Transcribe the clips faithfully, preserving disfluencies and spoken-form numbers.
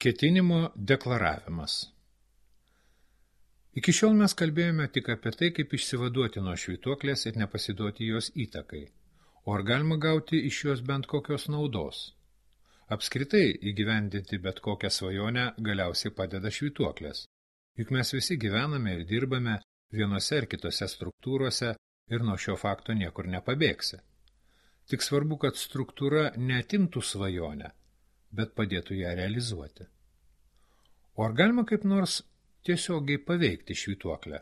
Ketinimo deklaravimas. Iki šiol mes kalbėjome tik apie tai, kaip išsivaduoti nuo švytuoklės ir nepasiduoti jos įtakai. O ar galima gauti iš jos bent kokios naudos? Apskritai įgyvendinti bet kokią svajonę galiausiai padeda švytuoklės. Juk mes visi gyvename ir dirbame vienose ar kitose struktūrose ir nuo šio fakto niekur nepabėgsi. Tik svarbu, kad struktūra neatimtų svajonę, bet padėtų ją realizuoti. O ar galima kaip nors tiesiogiai paveikti švytuoklę?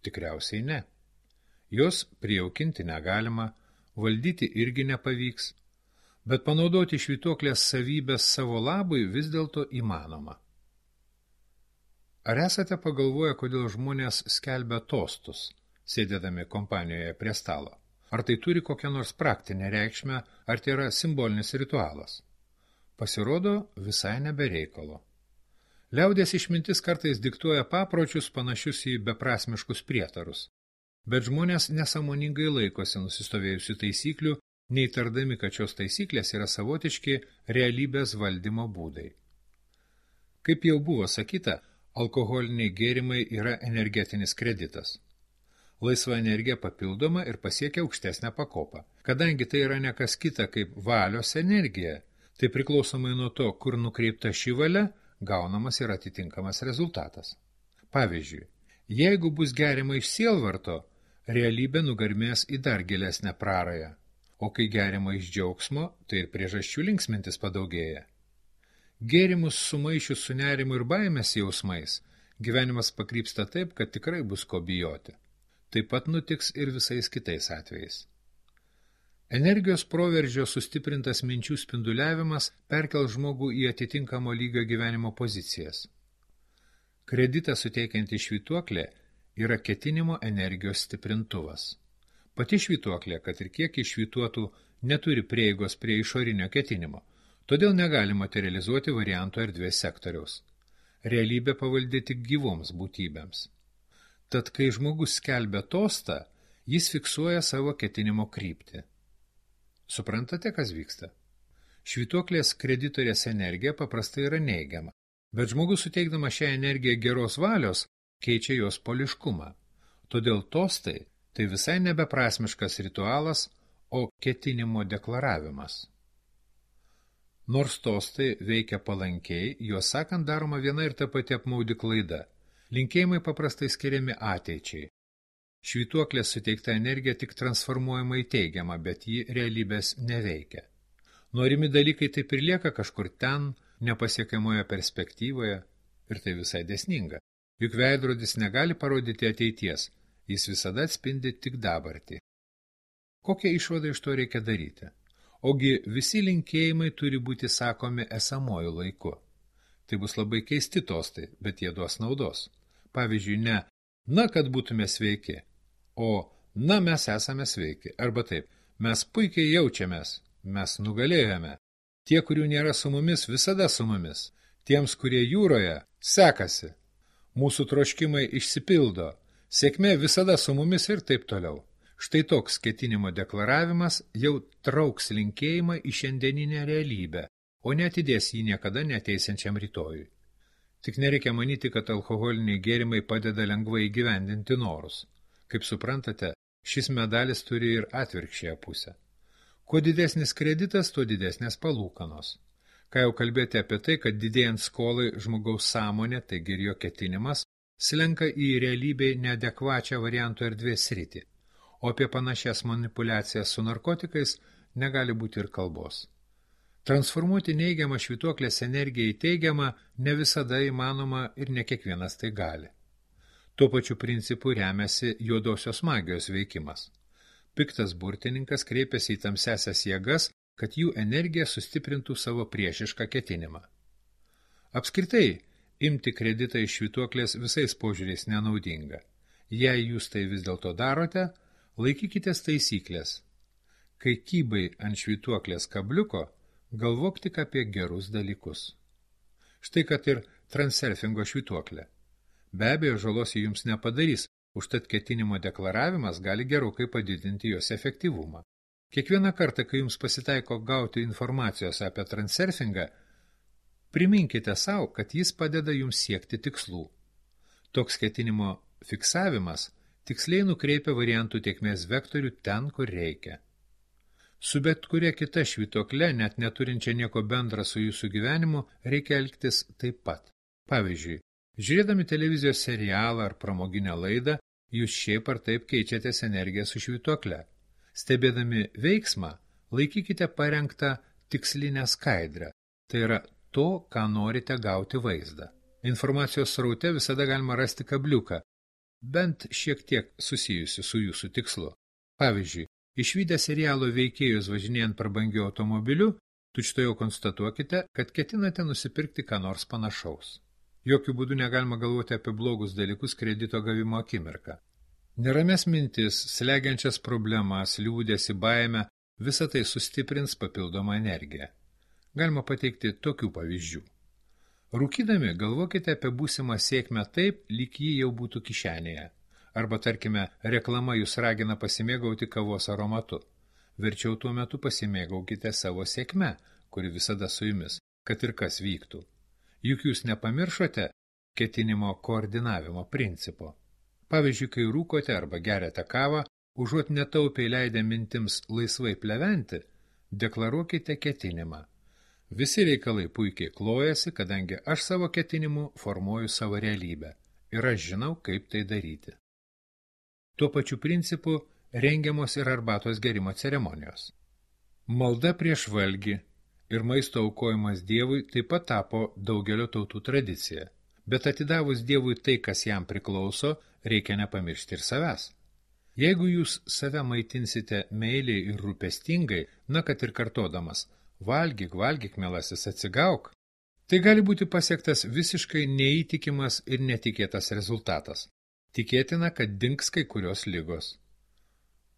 Tikriausiai ne. Jos prijaukinti negalima, valdyti irgi nepavyks, bet panaudoti švytuoklės savybės savo labui vis dėlto įmanoma. Ar esate pagalvoję, kodėl žmonės skelbia tostus, sėdėdami kompanijoje prie stalo? Ar tai turi kokią nors praktinę reikšmę, ar tai yra simbolinis ritualas? Pasirodo, visai nebereikalo. Liaudies išmintis kartais diktuoja papročius panašius į beprasmiškus prietarus, bet žmonės nesąmoningai laikosi nusistovėjusių taisyklių, neįtardami, kad šios taisyklės yra savotiški realybės valdymo būdai. Kaip jau buvo sakyta, alkoholiniai gėrimai yra energetinis kreditas. Laisva energija papildoma ir pasiekia aukštesnę pakopą. Kadangi tai yra ne kas kita kaip valios energija, tai priklausomai nuo to, kur nukreipta ši valia, gaunamas ir atitinkamas rezultatas. Pavyzdžiui, jeigu bus geriama iš sielvarto, realybė nugarmės į dar gilesnę prarają, o kai geriama iš džiaugsmo, tai ir priežasčių linksmintis padaugėja. Gėrimus sumaišius su nerimu ir baimės jausmais, gyvenimas pakrypsta taip, kad tikrai bus ko bijoti. Taip pat nutiks ir visais kitais atvejais. Energijos proveržio sustiprintas minčių spinduliavimas perkel žmogų į atitinkamo lygio gyvenimo pozicijas. Kreditą suteikianti švytuoklė yra ketinimo energijos stiprintuvas. Pati švytuoklė, kad ir kiek iššvytuotų, neturi prieigos prie išorinio ketinimo, todėl negali materializuoti varianto erdvės sektoriaus. Realybė pavaldi tik gyvoms būtybėms. Tad, kai žmogus skelbia tostą, jis fiksuoja savo ketinimo kryptį. Suprantate, kas vyksta? Švytuoklės kreditorės energija paprastai yra neigiama, bet žmogus suteikdama šią energiją geros valios keičia jos poliškumą. Todėl tostai tai visai nebeprasmiškas ritualas, o ketinimo deklaravimas. Nors tostai veikia palankiai, juos sakant daroma viena ir ta pati apmaudi klaida. Linkėjimai paprastai skiriami ateičiai. Švytuoklės suteikta energija tik transformuojama į teigiamą, bet ji realybės neveikia. Norimi dalykai taip ir lieka kažkur ten, nepasiekiamoje perspektyvoje, ir tai visai dėsninga. Juk veidrodis negali parodyti ateities, jis visada atspindi tik dabartį. Kokią išvadą iš to reikia daryti? Ogi visi linkėjimai turi būti sakomi esamuoju laiku. Tai bus labai keisti tostai, bet jie duos naudos. Pavyzdžiui, ne, na, kad būtume sveiki, o, na, mes esame sveiki, arba taip, mes puikiai jaučiamės, mes nugalėjome. Tie, kurių nėra su mumis, visada su mumis. Tiems, kurie jūroje, sekasi. Mūsų troškimai išsipildo, sėkmė visada su mumis ir taip toliau. Štai toks ketinimo deklaravimas jau trauks linkėjimą į šiandieninę realybę, o neatidės jį niekada neteisiančiam rytojui. Tik nereikia manyti, kad alkoholiniai gėrimai padeda lengvai įgyvendinti norus. Kaip suprantate, šis medalis turi ir atvirkščiąją pusę. Kuo didesnis kreditas, tuo didesnės palūkanos. Ką jau kalbėti apie tai, kad didėjant skolai žmogaus sąmonė, taigi ir jo ketinimas, slenka į realybėj neadekvačią varianto erdvės sritį, o apie panašias manipulacijas su narkotikais negali būti ir kalbos. Transformuoti neigiamą švytuoklės energiją į teigiamą ne visada įmanoma ir ne kiekvienas tai gali. Tuo pačiu principu remiasi juodosios magijos veikimas. Piktas burtininkas kreipiasi į tamsiasias jėgas, kad jų energija sustiprintų savo priešišką ketinimą. Apskritai, imti kreditą iš švytuoklės visais požiūriais nenaudinga. Jei jūs tai vis dėlto darote, laikykitės taisyklės. Kai kybai ant švytuoklės kabliuko, galvok tik apie gerus dalykus. Štai kad ir transurfingo švytuoklė. Be abejo, žalos jums nepadarys, užtat ketinimo deklaravimas gali gerokai padidinti jos efektyvumą. Kiekvieną kartą, kai jums pasitaiko gauti informacijos apie transurfingą, Priminkite savo, kad jis padeda jums siekti tikslų. Toks ketinimo fiksavimas tiksliai nukreipia variantų tėkmės vektorių ten, kur reikia. Su bet kuria kita švytuokle, net neturinčia nieko bendra su jūsų gyvenimu, reikia elgtis taip pat. Pavyzdžiui, žiūrėdami televizijos serialą ar pramoginę laidą, jūs šiaip ar taip keičiatės energiją su švytuokle. Stebėdami veiksmą, laikykite parengtą tikslinę skaidrę, tai yra to, ką norite gauti vaizdą. Informacijos sraute visada galima rasti kabliuką, bent šiek tiek susijusi su jūsų tikslu. Pavyzdžiui, išvydę serialo veikėjus važinėjant prabangiu automobiliu, tučtuojau konstatuokite, kad ketinate nusipirkti ką nors panašaus. Jokių būdų negalima galvoti apie blogus dalykus kredito gavimo akimirką. Nerames mintis, slegiančias problemas, liūdėsi, baimę, visa tai sustiprins papildomą energiją. Galima pateikti tokių pavyzdžių. Rūkydami galvokite apie būsimą sėkmę taip, lyg ji jau būtų kišenėje. Arba, tarkime, reklama jūs ragina pasimėgauti kavos aromatu. Verčiau tuo metu pasimėgaukite savo sėkme, kuri visada su jumis, kad ir kas vyktų. Juk jūs nepamiršote ketinimo koordinavimo principo. Pavyzdžiui, kai rūkote arba geriate kavą, užuot netaupiai leidę mintims laisvai pleventi, deklaruokite ketinimą. Visi reikalai puikiai klojasi, kadangi aš savo ketinimu formuoju savo realybę ir aš žinau, kaip tai daryti. Tuo pačiu principu rengiamos ir arbatos gerimo ceremonijos. Malda prieš valgį ir maisto aukojimas Dievui taip pat tapo daugelio tautų tradicija, bet atidavus Dievui tai, kas jam priklauso, reikia nepamiršti ir savęs. Jeigu jūs save maitinsite meiliai ir rūpestingai, na kad ir kartodamas, valgyk, valgyk, mielasis, atsigauk, tai gali būti pasiektas visiškai neįtikimas ir netikėtas rezultatas. Tikėtina, kad dings kai kurios ligos.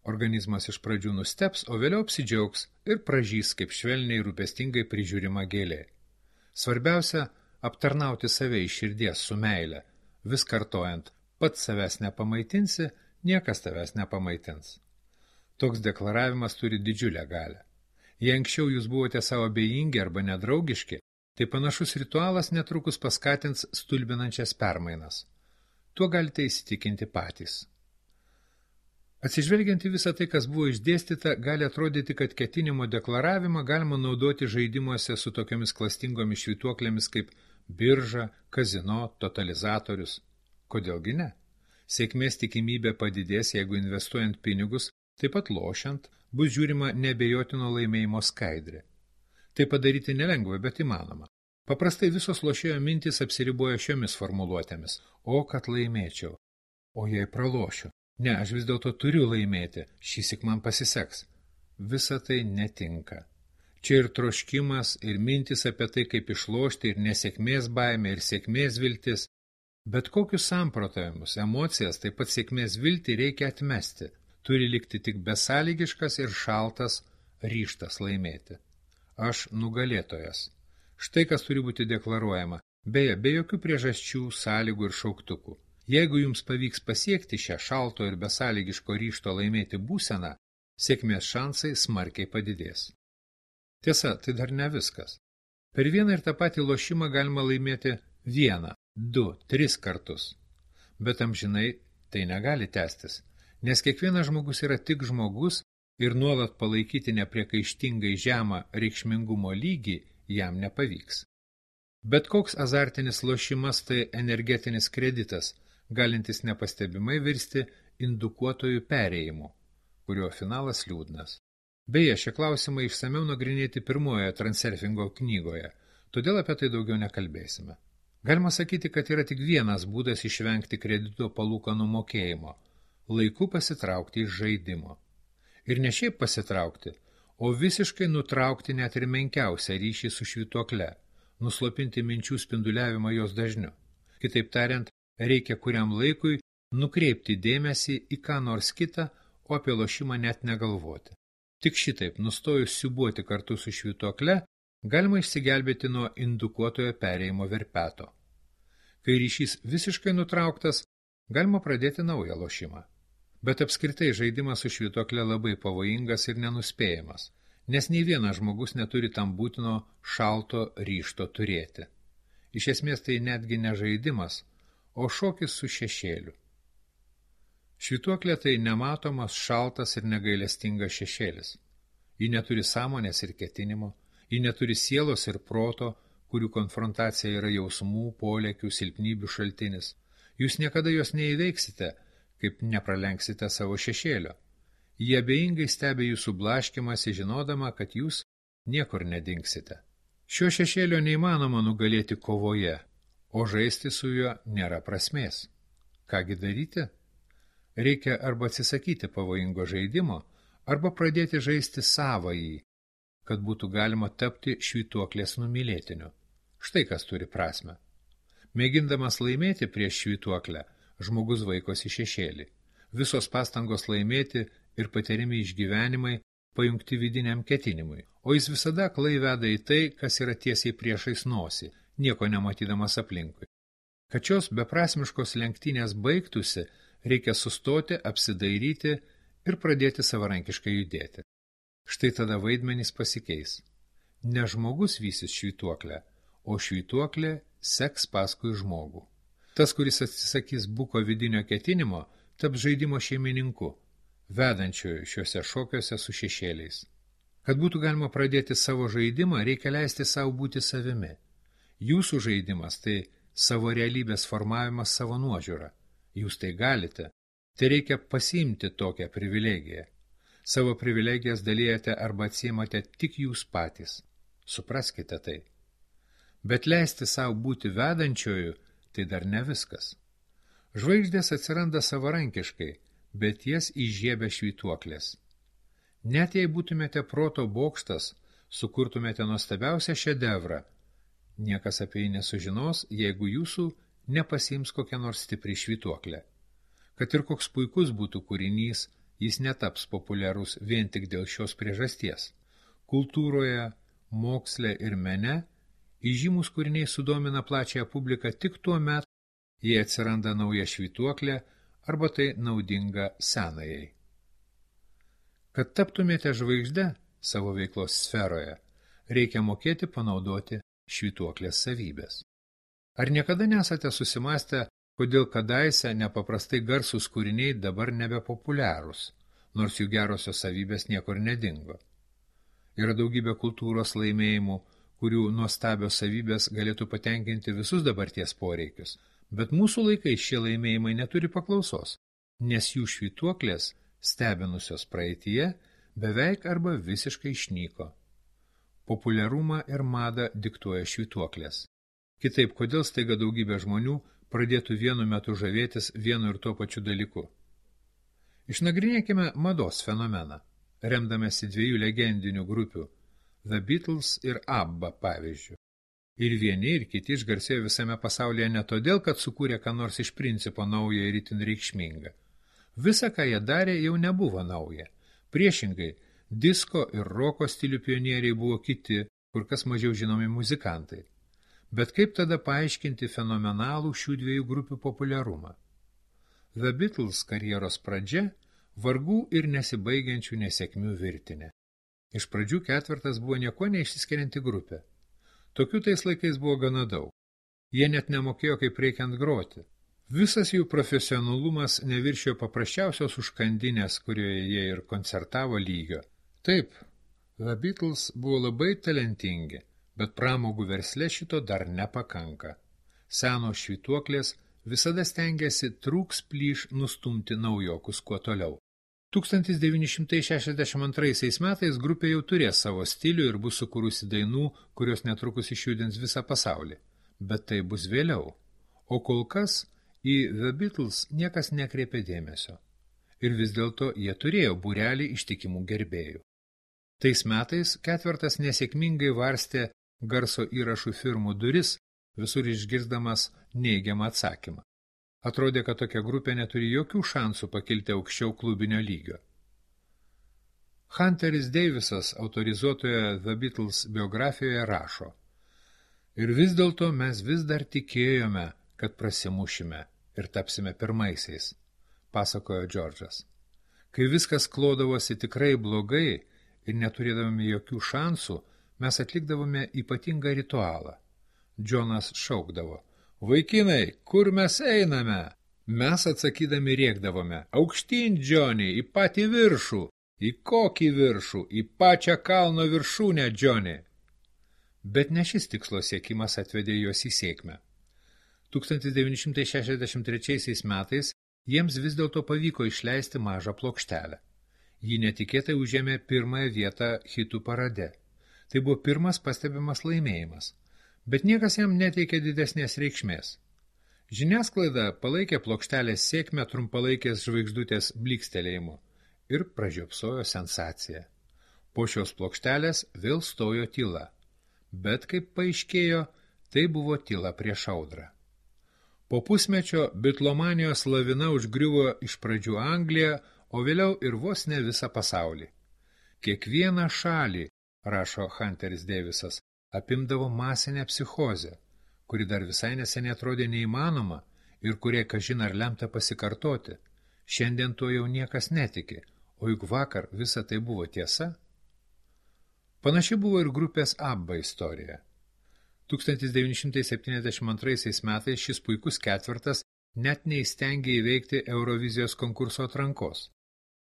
Organizmas iš pradžių nusteps, o vėliau apsidžiaugs ir pražys kaip švelniai rūpestingai prižiūrima gėlė. Svarbiausia – aptarnauti save iš širdies su meile, vis kartojant, pats savęs nepamaitinsi, niekas tavęs nepamaitins. Toks deklaravimas turi didžiulę galią. Jei anksčiau jūs buvote savo abejingi arba nedraugiški, tai panašus ritualas netrukus paskatins stulbinančias permainas. Tuo galite įsitikinti patys. Atsižvelgiant į visą tai, kas buvo išdėstyta, gali atrodyti, kad ketinimo deklaravimą galima naudoti žaidimuose su tokiomis klastingomis švytuoklėmis kaip birža, kazino, totalizatorius. Kodėlgi ne? Sėkmės tikimybė padidės, jeigu investuojant pinigus, taip pat lošiant, bus žiūrima nebejotino laimėjimo skaidrė. Tai padaryti nelengva, bet įmanoma. Paprastai visos lošėjo mintys apsiriboja šiomis formuluotėmis. O, kad laimėčiau. O jei pralošiu. Ne, aš vis dėlto turiu laimėti. Šįsyk man pasiseks. Visa tai netinka. Čia ir troškimas, ir mintis apie tai, kaip išlošti, ir nesėkmės baimė, ir sėkmės viltis. Bet kokius samprotavimus, emocijas, taip pat sėkmės viltį reikia atmesti. Turi likti tik besąlygiškas ir šaltas ryžtas laimėti. Aš nugalėtojas. Štai kas turi būti deklaruojama, beje, be jokių priežasčių, sąlygų ir šauktukų. Jeigu jums pavyks pasiekti šią šalto ir besąlygiško ryžto laimėti būseną, sėkmės šansai smarkiai padidės. Tiesa, tai dar ne viskas. Per vieną ir tą patį lošimą galima laimėti vieną, du, tris kartus. Bet amžinai tai negali tęstis. Nes kiekvienas žmogus yra tik žmogus ir nuolat palaikyti nepriekaištingai žemą reikšmingumo lygį jam nepavyks. Bet koks azartinis lošimas tai energetinis kreditas, galintis nepastebimai virsti indukuotojų perėjimu, kurio finalas liūdnas. Beje, šie klausimai išsamiau nagrinėti pirmojoje Transurfingo knygoje, todėl apie tai daugiau nekalbėsime. Galima sakyti, kad yra tik vienas būdas išvengti kredito palūkanų mokėjimo – laiku pasitraukti iš žaidimo. Ir ne šiaip pasitraukti, o visiškai nutraukti net ir menkiausią ryšį su švytuokle, nuslopinti minčių spinduliavimą jos dažniu. Kitaip tariant, reikia kuriam laikui nukreipti dėmesį į ką nors kitą, o apie lošimą net negalvoti. Tik šitaip, nustojus siūbuoti kartu su švytuokle, galima išsigelbėti nuo indukuotojo perėjimo verpeto. Kai ryšys visiškai nutrauktas, galima pradėti naują lošimą. Bet apskritai žaidimas su švytuokle labai pavojingas ir nenuspėjamas. nes nei vienas žmogus neturi tam būtino šalto ryžto turėti. Iš esmės tai netgi ne žaidimas, o šokis su šešėliu. Švytuoklė tai nematomas, šaltas ir negailestingas šešėlis. Ji neturi sąmonės ir ketinimo, ji neturi sielos ir proto, kurių konfrontacija yra jausmų, polėkių, silpnybių šaltinis. Jūs niekada jos neįveiksite, kaip nepralenksite savo šešėlio. Jie abejingai stebi jūsų blaškimąsi, žinodama, kad jūs niekur nedingsite. Šio šešėlio neįmanoma nugalėti kovoje, o žaisti su juo nėra prasmės. Kągi daryti? Reikia arba atsisakyti pavojingo žaidimo, arba pradėti žaisti savąjį, kad būtų galima tapti švytuoklės numylėtiniu. Štai kas turi prasmę. Mėgindamas laimėti prieš švytuoklę, žmogus vaikosi šešėlį. Visos pastangos laimėti ir patiriami išgyvenimai pajungti vidiniam ketinimui, o jis visada aklai veda į tai, kas yra tiesiai priešais nosį, nieko nematydamas aplinkui. Kad šios beprasmiškos lenktynės baigtųsi, reikia sustoti, apsidairyti ir pradėti savarankiškai judėti. Štai tada vaidmenys pasikeis. Ne žmogus vysis švytuoklę, o švytuoklė seks paskui žmogų. Tas, kuris atsisakys buko vidinio ketinimo, taps žaidimo šeimininku, vedančioju šiuose šokiuose su šešėliais. Kad būtų galima pradėti savo žaidimą, reikia leisti savo būti savimi. Jūsų žaidimas tai savo realybės formavimas savo nuožiūra. Jūs tai galite. Tai reikia pasiimti tokią privilegiją. Savo privilegijas dalyjate arba atsiimate tik jūs patys. Supraskite tai. Bet leisti savo būti vedančioju, tai dar ne viskas. Žvaigždės atsiranda savarankiškai, bet jas įžiebia švytuoklės. Net jei būtumėte proto bokštas, sukurtumėte nuostabiausią šedevrą, niekas apie jį nesužinos, jeigu jūsų nepasiims kokią nors stiprią švytuoklę. Kad ir koks puikus būtų kūrinys, jis netaps populiarus vien tik dėl šios priežasties. Kultūroje, moksle ir mene įžymus kūriniai sudomina plačiąją publiką tik tuo met, jei atsiranda nauja švytuoklė arba tai naudinga senajai. Kad taptumėte žvaigžde savo veiklos sferoje, reikia mokėti panaudoti švytuoklės savybės. Ar niekada nesate susimąstę, kodėl kadaise nepaprastai garsūs kūriniai dabar nebepopuliarūs, nors jų gerosios savybės niekur nedingo? Yra daugybė kultūros laimėjimų, kurių nuostabios savybės galėtų patenkinti visus dabarties poreikius, bet mūsų laikais šie laimėjimai neturi paklausos, nes jų švytuoklės, stebinusios praeityje, beveik arba visiškai išnyko. Populiarumą ir madą diktuoja švytuoklės. Kitaip, kodėl staiga daugybė žmonių pradėtų vienu metu žavėtis vienu ir tuo pačiu dalyku? Išnagrinėkime mados fenomeną, remdamėsi dviejų legendinių grupių The Beatles ir ABBA pavyzdžių. Ir vieni ir kiti išgarsėjo visame pasaulyje ne todėl, kad sukūrė ką nors iš principo naują ir itin reikšmingą. Visa, ką jie darė, jau nebuvo nauja. Priešingai, disko ir roko stilių pionieriai buvo kiti, kur kas mažiau žinomi muzikantai. Bet kaip tada paaiškinti fenomenalų šių dviejų grupių populiarumą? The Beatles karjeros pradžia – vargų ir nesibaigiančių nesėkmių virtinė. Iš pradžių ketvertas buvo nieko neišsiskirianti grupė. Tokių tais laikais buvo gana daug. Jie net nemokėjo, kaip reikiant groti. Visas jų profesionalumas neviršijo paprasčiausios užkandinės, kurioje jie ir koncertavo lygio. Taip, The Beatles buvo labai talentingi, bet pramogų versle šito dar nepakanka. Senos švytuoklės visada stengiasi trūks plyš nustumti naujokus kuo toliau. tūkstantis devyni šimtai šešiasdešimt antraisiais metais grupė jau turės savo stilių ir bus sukūrusi dainų, kurios netrukus išjudins visą pasaulį. Bet tai bus vėliau. O kol kas į The Beatles niekas nekreipė dėmesio. Ir vis dėlto jie turėjo būrelį ištikimų gerbėjų. Tais metais ketvertas nesėkmingai varstė garso įrašų firmų duris, visur išgirsdamas neigiamą atsakymą. Atrodė, kad tokia grupė neturi jokių šansų pakilti aukščiau klubinio lygio. Hunteris Davisas autorizuotoje The Beatles biografijoje rašo: Ir vis dėlto mes vis dar tikėjome, kad prasimušime ir tapsime pirmaisiais, pasakojo Džordžas. Kai viskas klodavosi tikrai blogai ir neturėdami jokių šansų, mes atlikdavome ypatingą ritualą. Džonas šaukdavo: "Vaikinai, kur mes einame?" Mes atsakydami rėkdavome: "Aukštyn, Džoni, į patį viršų." "Į kokį viršų?" "Į pačią kalno viršūnę, Džoni." Bet ne šis tikslo siekimas atvedė juos į sėkmę. tūkstantis devyni šimtai šešiasdešimt trečiaisiais metais jiems vis dėlto pavyko išleisti mažą plokštelę. Ji netikėtai užėmė pirmąją vietą hitų parade. Tai buvo pirmas pastebimas laimėjimas, bet niekas jam neteikė didesnės reikšmės. Žiniasklaida palaikė plokštelės sėkmę trumpalaikės žvaigždutės blykstelėjimu ir pražiopsojo sensaciją. Po šios plokštelės vėl stojo tyla, bet, kaip paaiškėjo, tai buvo tyla prieš audrą. Po pusmečio bitlomanijos lavina užgriuvo iš pradžių Angliją, o vėliau ir vos ne visą pasaulį. Kiekvieną šalį, rašo Hunteris Davisas, apimdavo masinę psichozę, kuri dar visai neseniai atrodė neįmanoma ir kurie kažin ar lemta pasikartoti. Šiandien to jau niekas netiki, o juk vakar visa tai buvo tiesa. Panaši buvo ir grupės ABBA istorija. tūkstantis devyni šimtai septyniasdešimt antraisiais metais šis puikus ketvertas net neįstengė įveikti Eurovizijos konkurso atrankos.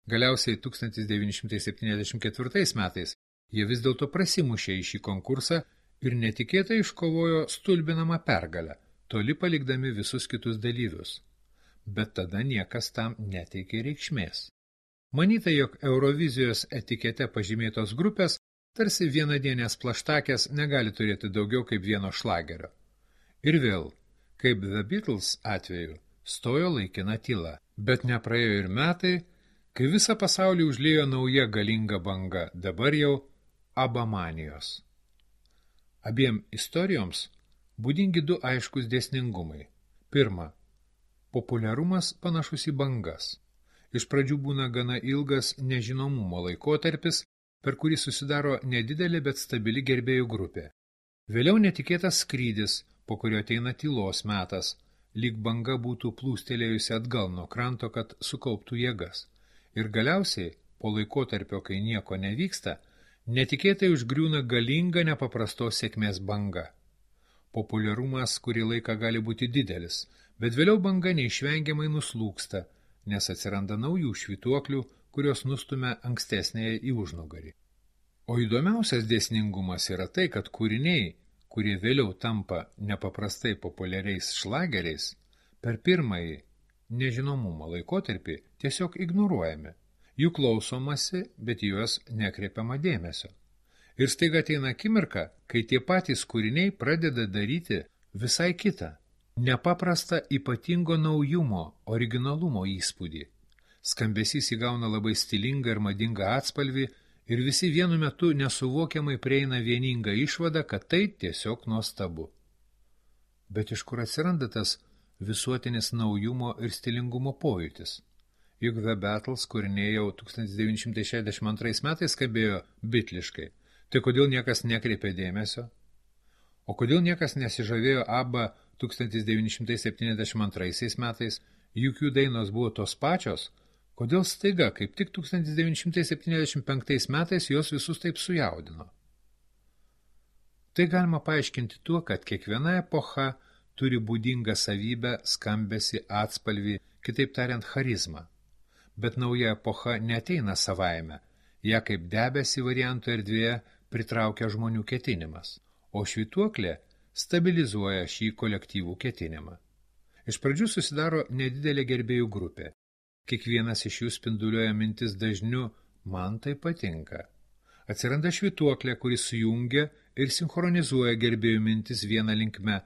Galiausiai tūkstantis devyni šimtai septyniasdešimt ketvirtais metais jie vis dėlto prasimušė į šį konkursą ir netikėtai iškovojo stulbinamą pergalę, toli palikdami visus kitus dalyvius. Bet tada niekas tam neteikė reikšmės. Manyta, jog Eurovizijos etikete pažymėtos grupės tarsi vienadienės plaštakės negali turėti daugiau kaip vieno šlagerio. Ir vėl, kaip The Beatles atveju, stojo laikina tyla, bet nepraėjo ir metai, kai visą pasaulį užliejo nauja galinga banga, dabar jau abamanijos. Abiem istorijoms būdingi du aiškus dėsningumai. Pirma, populiarumas panašus į bangas. Iš pradžių būna gana ilgas nežinomumo laikotarpis, per kurį susidaro nedidelė, bet stabili gerbėjų grupė. Vėliau netikėtas skrydis, po kurio ateina tylos metas, lyg banga būtų plūstelėjusi atgal nuo kranto, kad sukauptų jėgas. Ir galiausiai, po laikotarpio, kai nieko nevyksta, netikėtai užgriūna galinga nepaprastos sėkmės banga. Populiarumas kurį laiką gali būti didelis, bet vėliau banga neišvengiamai nuslūksta, nes atsiranda naujų švytuoklių, kurios nustumia ankstesnėje į užnugarį. O įdomiausias dėsningumas yra tai, kad kūriniai, kurie vėliau tampa nepaprastai populiariais šlageriais, per pirmąjį nežinomumo laikotarpį tiesiog ignoruojami. Jų klausomasi, bet juos nekreipiama dėmesio. Ir staiga ateina akimirka, kai tie patys kūriniai pradeda daryti visai kitą, nepaprastą ypatingo naujumo, originalumo įspūdį. Skambesys įgauna labai stilingą ir madingą atspalvį ir visi vienu metu nesuvokiamai prieina vieningą išvadą, kad tai tiesiog nuostabu. Bet iš kur atsiranda tas visuotinis naujumo ir stilingumo pojūtis? Juk The Beatles kūriniai jau tūkstantis devyni šimtai šešiasdešimt antrais metais skambėjo bitliškai. Tai kodėl niekas nekreipė dėmesio? O kodėl niekas nesižavėjo ABBA tūkstantis devyni šimtai septyniasdešimt antraisiais metais, juk jų dainos buvo tos pačios? Kodėl staiga, kaip tik tūkstantis devyni šimtai septyniasdešimt penktais metais jos visus taip sujaudino? Tai galima paaiškinti tuo, kad kiekviena epocha turi būdingą savybę, skambesį, atspalvį, kitaip tariant, charizmą. Bet nauja epocha neateina savaime, ją kaip debesį varianto erdvėje pritraukia žmonių ketinimas, o švytuoklė stabilizuoja šį kolektyvų ketinimą. Iš pradžių susidaro nedidelė gerbėjų grupė. Kiekvienas iš jų spinduliuoja mintis dažniu "man tai patinka". Atsiranda švytuoklė, kuris sujungia ir sinchronizuoja gerbėjų mintis vieną linkme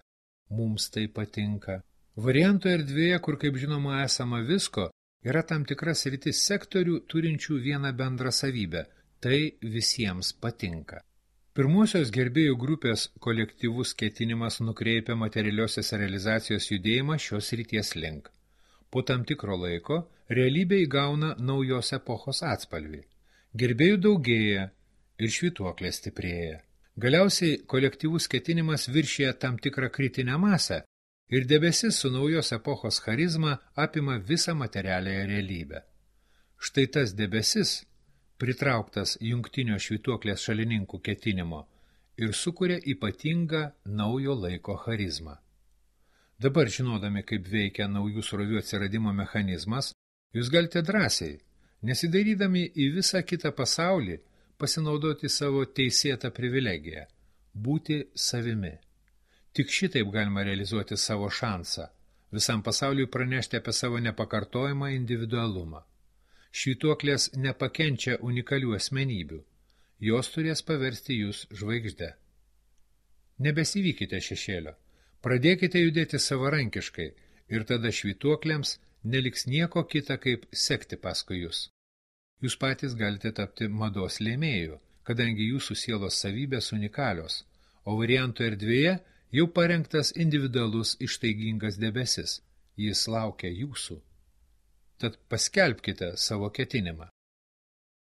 "mums tai patinka". Varianto erdvėje, kur kaip žinoma esama visko, yra tam tikras sritis sektorių turinčių vieną bendrą savybę – tai visiems patinka. Pirmosios gerbėjų grupės kolektyvus ketinimas nukreipia materialiosios realizacijos judėjimą šios srities link. Po tam tikro laiko realybė įgauna naujos epochos atspalvį. Gerbėjų daugėja ir švytuoklė stiprėja. Galiausiai kolektyvus ketinimas viršyje tam tikrą kritinę masę ir debesis su naujos epochos charizma apima visą materialiąją realybę. Štai tas debesis pritrauktas jungtinio švytuoklės šalininkų ketinimo ir sukuria ypatingą naujo laiko charizmą. Dabar, žinodami, kaip veikia naujų srovių atsiradimo mechanizmas, jūs galite drąsiai, nesidairydami į visą kitą pasaulį, pasinaudoti savo teisėtą privilegiją – būti savimi. Tik šitaip galima realizuoti savo šansą, visam pasauliui pranešti apie savo nepakartojamą individualumą. Švytuoklės nepakenčia unikalių asmenybių, jos turės paversti jūs žvaigždę. Nebesivykite šešėlio, pradėkite judėti savarankiškai ir tada švytuoklėms neliks nieko kita kaip sekti paskui jūs. Jūs patys galite tapti mados lėmėjų, kadangi jūsų sielos savybės unikalios, o varianto erdvėje jau parengtas individualus ištaigingas debesis, jis laukia jūsų. Tad paskelbkite savo ketinimą.